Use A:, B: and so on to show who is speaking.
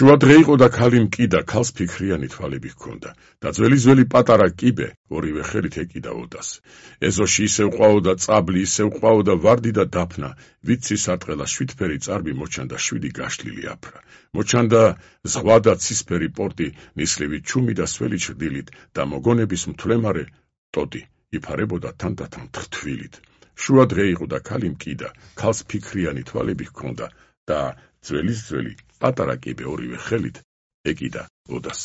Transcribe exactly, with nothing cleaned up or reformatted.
A: შუა დღე იყო და ქალი მკიდა, ქალს ფიქრიანი თვალები ჰქონდა და ძველი-ძველი პატარა კიბე ორივე ხელით ეკიდა ოდას. ეზოში ისევ ყვაოდა წაბლი, ისევ ყვაოდა ვარდი და დაფნა, ვიცის არტყელა შვიდფერი წარბი მოჩანდა შვიდი გაშლილი აფრა. მოჩანდა ზღვა და ცისფერი პორტი, ნისლივი ჩუმი და სველი ჩრდილით და მოგონების მთვლემარე ტოტი იფარებოდა თანდათან თრთვილით. შუა დღე იყო და ქალი მკიდა, ქალს ფიქრიანი თვალები ჰქონდა და ძველის ძველი პატარა კიბე ორივე ხელით ეკიდა ოდას.